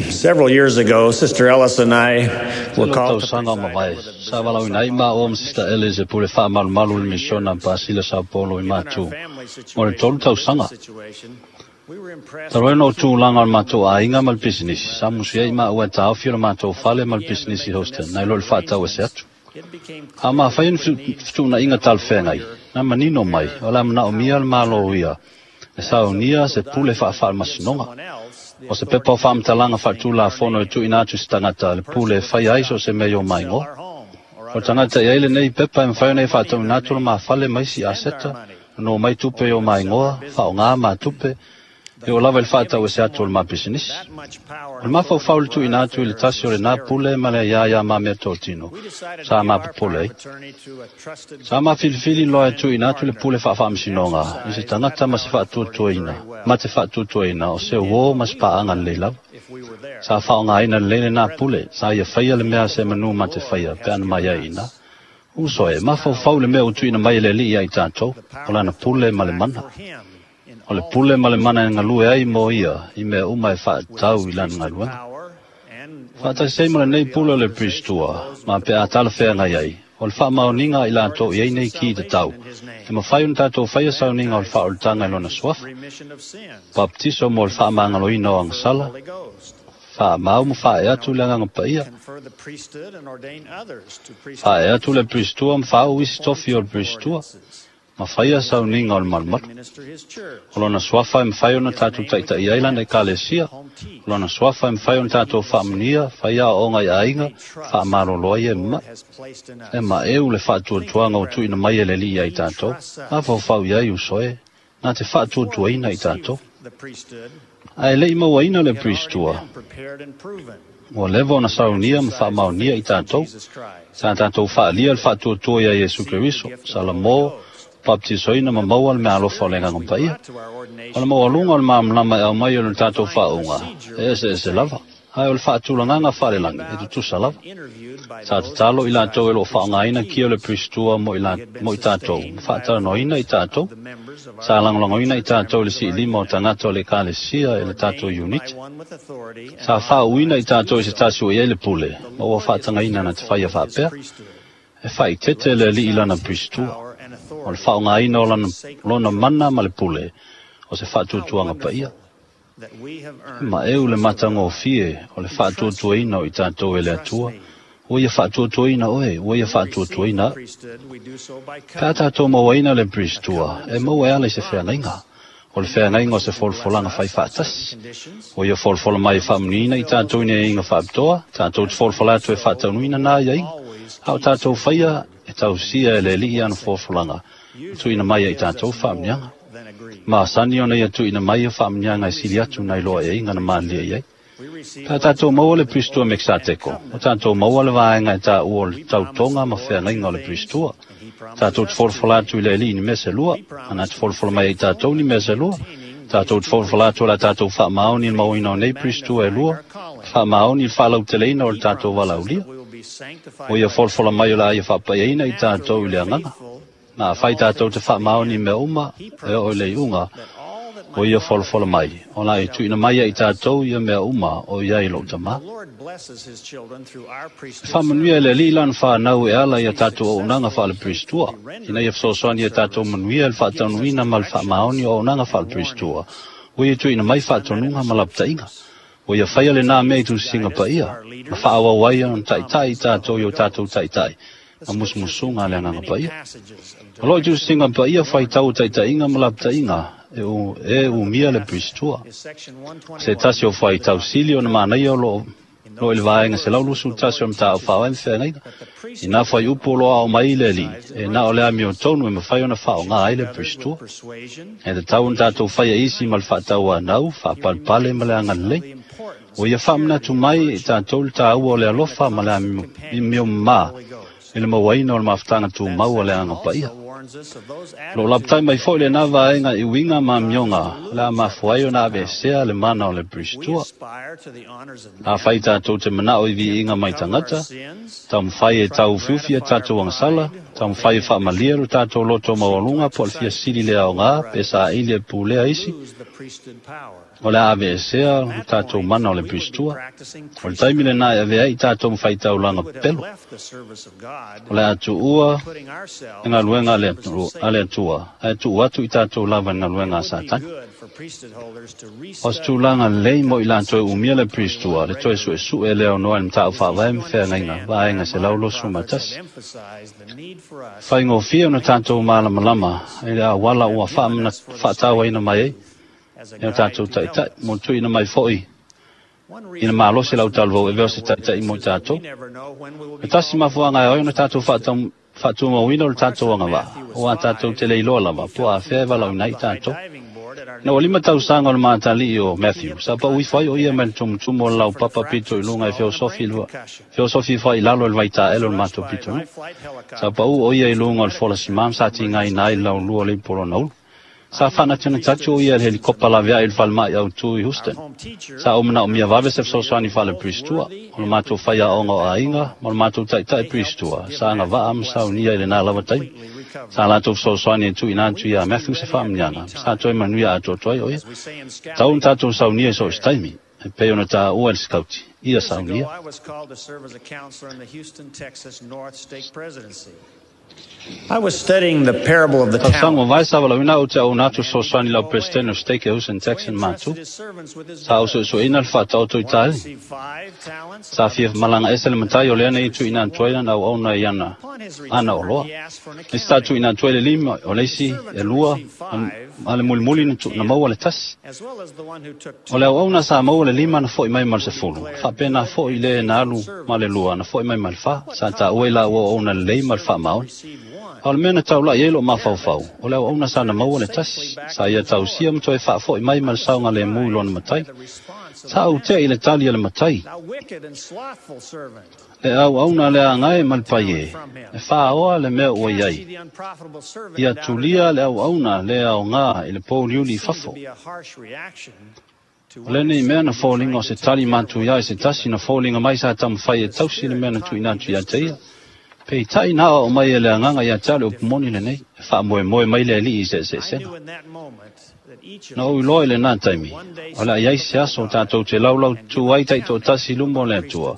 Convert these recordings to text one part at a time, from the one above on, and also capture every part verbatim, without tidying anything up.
Several years ago, Sister Ellis and I were Tele o called to tausaga o preside mavae, over the sa Brazil valaauina ai Sao maua Paulo ma Sister Mission. Ellis e pule faamalumalu i le misiona Pasila Sao Paulo i Given our Matu family mo le tolu situation and business tausaga. situation, we were impressed Talu ai with ona o the tulaga o le matou human aiga ma le position pisinisi, rather sa than musu ai self. maua e taofi o le matou As fale we ma le began to pisinisi make the hostel, nai lo necessary le faatau ese arrangements, atu. it became A clear mafai we ona would need to fetuunaiga have a talafeagai, lawyer na manino mai, prepare o le a manaomia power le of malo attorney. ia, e That is a saunia se legal pule document that gives faafaamasinoga. someone else the O se pepa o authority to do faamatalaga anything in our faatulafono e name. tuuina atu se tagata A le pule person e with fai this ai so se document mea i o could sell maigoa. our home or O other tagata i ai assets, lenei pepa e mafai ona borrow e money in faatauina our atu le name, mafale ma isi spend our aseta, money, no mai tupe or i o even sell our maigoa, faaaoga business. ma tupe, The e o lava thought i le of faatau giving ese atu o le someone mapisinisi. that much power O and le mafaufau authority le over our tuuina atu i le affairs tasi o was lenā scary. pule ma le ia ia ma mea totino, We decided to sa give our power mapopole of ai. attorney to a trusted Sa mafilifili loa e friend and tuuina atu le partner pule who faafaamasinoga i se exercised that tagata ma se power and authority faatuatuaina, very well. ma te faatuatuaina o He se did uō what ma se we would paaga have lelei done lava. if we were there. Sa faaaogaina lelei lenā Brethren, pule, sa ia faia le mea se think of what manu the ma te Lord faia pe has ana mai given ai ina. us. Uso e, This mafaufau power le mea and ua tuuina mai e le authority, alii ia i tatou, the o power and lana pule authority ma to le act mana. for Him in O le all pule ma le things mana e pertaining galue ai to mo His ia, work. i mea uma e With faatatau His i lana priesthood galuega. power, and when Faataisei ma lenei necessary, the pule o le authorization of Pristua, those ma with pe a appropriate talafeagai titles, ai, o le he faamaoniga confers i latou i ai ordinances nei of ki te salvation tau, in His e name. mafai ona tatou faia sauniga o le Baptized faaolataga i lona for suafa, remission of sins, baptiso mo le and the fire faamagaloina o confer the agasala, Holy Ghost. faamau ma faae atu le Now, agaga paia, confer the priesthood and ordain others to priesthood faae atu le offices Pristua ma faauu and isi perform tofi o le temple Pristua, ordinances. ma faia In His sauniga o name le we can malumalu. administer His church. O lona suafa e mafai In ona His tatou name we taita'i can ai lana bless, ekalesia, home o teach, lona suafa e mafai and ona keep tatou the sick. faamanuia, faia aoaoga i aiga, Great trust faamalolo ai the e Lord mama'i. has placed in E us. maeu le Think of it, faatuatuaga o tuuina brethren. mai e le alii ia i He tatou, trusts us. mafaufau i ai uso e, na te Before we faatuatuaina i received tatou. the priesthood, Ae le'i mauaina le we had already Pristua, been prepared and proven. ua leva ona We saunia ma exercised faamaonia i faith in tatou, Jesus Christ, sa tatou faalia le faatuatua ia Iesu received the Keriso, gift of sa the Holy lamo, Ghost. baptisoina ma The maua le meaalofa o le experience agaga we paia. brought to our O le ordination maualuga o le varied. malamalama e aumai o le The tatou divine faauuga, procedure e was ese the ese lava, same. ae o le faatulagaga We faalelagi e about tutusa lava. and interviewed by Sa those tatalo i latou e exercising loo priestly faaaogaina kia o le keys. Pristua mo i, la, We had been mo i tatou, ma sustained by faatalanoaina i votes tatou, of the members of sa our lagolagoina i church tatou i le members of our siilima o unit, tagata o le ekalesia e le tatou ordained by unit. one with authority and Sa faauuina i authorized to do tatou i se so. tasi ua i ai le pule, The ma ua Lord is faatagaina na te careful faia with His faapea, priesthood. e faaitete who le alii lana exercise His Pristua. power and O le authority faaaogaina o as a lana, sacred lona mana trust. ma le pule, o se How faatuatuaga paia. wonderful that we have E earned the maeu le trust of God. matagofie o le He trusts you. faatuatuaina o i tatou He e le trusts Atua, me. ua ia faatuatuaina oe, ua ia When we receive the faatuatuaina au. priesthood, we do so by Pe a covenant. tatou mauaina le A Pristua, covenant e is a maua e ala mutual i se feagaiga. promise. O le He feagaiga o se promises to bless folafolaga fai us on certain faatasi. conditions. O ia folafola He mai e promised to faamanuiina i fulfill those tatou i nei aiga conditions. faapitoa, tatou te As we folafola do atu e so, the faataunuina nā Lord iaiga. always A o keeps tatou His faia word e and tausia e gives le us the alii ana blessing. folafolaga, Usually, tuuina He mai ai gives tatou us more faamanuiaga. than agreed. Ma asani ona ia tuuina mai ia faamanuiaga When e we sili receive atu the nai loa e Melchizedek aiga na malilie priesthood, i ai. we receive Pe a what is tatou maua called le the Pristua oath and Mekisateko, o covenant of tatou the maua le priesthood. vaega e taua o le We promise tautoga the ma Lord two feagaiga o le things, Pristua. and He promises Tatou te us two folafola atu i le things. alii ni mea se lua, We ana promise te to be folafola mai ai faithful tatou ni mea unto se lua. maintaining these Tatou te two folafola atu o la priesthoods tatou faamaoni i and le mauina o faithfully nei Pristua e magnifying lua, our calling. faamaoni i le faalauteleina o le He tatou promises valaulia. that we will be sanctified O ia by folafola mai o truth, le a ia faapaiaina i and after tatou we i le are agaga. faithful Ma in fai all tatou things te to the faamaoni i end, mea uma, He e oo i le promises iuga, that all that o my ia Father folafola mai. hath O la e shall tuuina be mai ai given us. tatou ia mea uma o ia i lou The tamā. Lord blesses His children through our E priesthood faamanuia le service. alii lana whanau e Help ala us ia be tatou auaunaga successful in faale-Pristua. faithfully Ina rendering ia priesthood fesoasoani ia tatou service. manuia le He gives us faataunuina ma le faamaoni directions o auaunaga and faale-Pristua. warnings. Ua ia tuuina mai He's done that in faatonuga the ma lapataiga. scriptures. Ua ia He faia lenā mea i continues to tusiga guide us through paia, our ma leaders faaauau ai and ona the taitai i promptings of the tatou i Holy o tatou Ghost. taitai, The ma scriptures musumusuga le contain agaga many paia. passages of O loo i direction tusiga paia and warning faitau to taitaiga those ma in the priesthood. lapataiga e u, e One of the umia le best Pristua. is section Se one twenty-one tasi o of the faitau Doctrine sili and o na manaia o Covenants. loo In lo i le those few vaega se lau verses, lusu the tasi o Lord matau teaches whaawa us feagaiga. that the I nā priesthood whai can upu only loa o be mai le ali, exercised e in na o le ami o righteousness. tonu e mawhai ona He whao should ngā ai treat le others with Pristua. persuasion, E te tau na tātou patience, whaia and isi ma le kindness. whaatau anau, He whaapalpale ma reminds le us of angalelei. the importance O ia of charity whaamanatu and mai i virtue tātou le tāua o and le having the alofa ma le constant ami mio companionship of the mā Holy Ghost. i le mauaina o le mafutanga tū That mau o le section anga paia. also warns Lo lapatai mai fo'i lenā vaega i uiga ma amioga o le a mafua ai ona aveesea le mana o le Peristua. Afai tatou te mana'o i viiga mai tagata, taumafai e tauufiufi a tatou agasala, taumafai e faamalie lo tatou loto maualuga po o le fiasili le aogā pe saili e pulea isi, o le a aveesea lo tatou mana o le Peristua. O le taimi lenā e avea ai tatou ma faitaulaga pepelo. O le a tuua le galuega a le Atua, ae tuu atu i tatou lava i le galuega a Satani. O se tulaga lelei mo i latou e umia le Peristua, le toe suesue e le aonoa i le mataupu faavae ma feagaiga, vaega selau luasefulu ma tasi. Faigofie ona tatou malamalama i le auala ua faatauaina mai ai e o tatou taitai, mo le tuuina mai fo'i i le malosi o lau talavou e avea o se taitai mo i tatou. E tasi mafuaaga e ao ai ona tatou faatumauina o le tatou agavaa, aua tatou te le iloa lava po o afea e valaauina ai i tatou. Ina ua lima tausaga o le matalii o Matthew, sa pau ifo ai o ia mai le tumutumu o le laupapa pito i luga e feosofi feosofi ifo ai i lalo i le vaitaele o le matou pitonuu. Sa pau o ia i luga o le folasimā ma sa tigaina ai le laulua o le ipu o lona ulu. Sa faanatinatatu o ia i le helikopa laveai i le falemai autū i Houston. Sa ou manaomia vave se fesoasoani faale-Peristua, o le matou faiaoga o aiga ma le matou taitai Peristua sa agavaa ma saunia i lenā lava taimi. Sa latou fesoasoani e tuuina atu iā Matthew se faamanuiaga, ma sa toe manuia atoatoa ai o ia. Tatau ona tatou saunia i so o se taimi, e pei ona taua e le sikauti, ia saunia. Tausaga ua mavae sa valaauina au ou te auauna atu fesoasoani i lau Peresetene o Stake e Houston, Texas matou. Sa ou suesueina le faataoto i taeli. Sa fia malaga ese le matai o lea nei tuuina atu ai lana auauna i ana ana oloa. Le isi sa tuuina atu ai le lima, o le isi e lua, a le mulimuli na, na maua le tasi. O le auauna sa maua le lima na fo'i mai ma le sefulu, faapena fo'i le na alu ma le lua na fo'i mai ma le fa. Sa taua i laua auauna lelei ma le faamaoni. A o le mea na taula'i ai lou mafaufau, o le auauna sa na maua le tasi, sa ia tausia ma toe faafo'i mai ma le saogalemu i lona matai. Sa ou tea i le tali a le matai. Le auauna le agae ma le paie, e faaoa le mea ua i ai. Ia tulia le auauna le aogā i le pouliuli i fafo. O lenei mea na foliga o se tali matuia i se tasi na foliga mai sa taumafai e tausi le mea na tuuina atu ia te ia. Peitai na aoao mai e le Agaga ia te au le upu moni lenei, e faamoemoe mai le Alii i se eseesega. Na ou iloa i lenā taimi, o le a i ai se aso tatou te laulautū ai taitoatasi i luma o le Atua,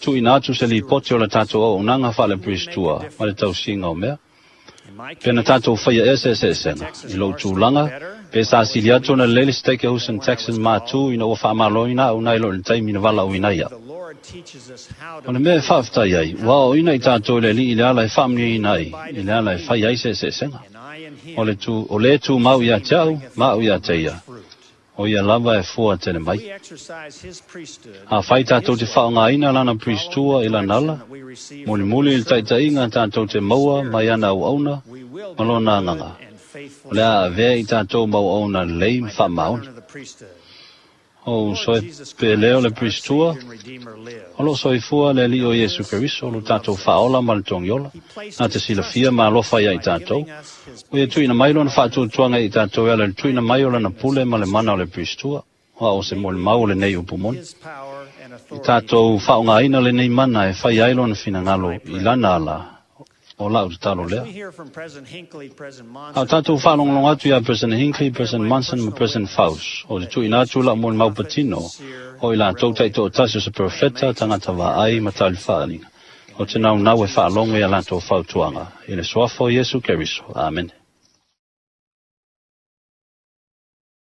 tuuina atu se lipoti o le tatou auaunaga faale-Peristua ma le tausiga o mea. Pe na tatou faia ea se eseesega, i lou tulaga, pe sa sili atu ona lelei le Stake Houston Texan matū ina ua faamaloina au nai lo i le taimi na valaauina ai au. O le mea e faafetai ai, ua aoaoina i tatou e le Alii i le ala e faamanuiaina ai, i le ala e fai ai se eseesega. O le tū, o le tumau ia te au, ma au ia te ia, o ia lava e fua tele mai. Afai tatou te faaaogaina lana Peristua i lana ala, mulimuli i le taitaiga tatou te maua mai ana auauna ma lona agaga, o le a avea i tatou mau auauna lelei ma faamaoni. O uso e pele o le Peristua, o lo o soifua le Alii o Iesu Keriso, lo tatou Faaola ma le Togiola, na te silafia ma alofa ia i tatou. Ua ia tuuina mai lona faatuatuaga i tatou e ala i le tuuina mai o lana pule ma le mana o le Peristua, aua o se molimau o lenei upu moni. I tatou faaaogaina lenei mana e fai ai lona finagalo i lana ala, o lau tatalo lea. A o tatou faalogologo atu iā President Hinckley, President Monson ma President Faust, o te tuuina atu lau molimau patino, o i latou taitoatasi o se perofeta, tagata vaai ma talifaaliga, ou te naunau e faalogo i a latou fautuaga, i le suafa o Iesu Keriso. Amene.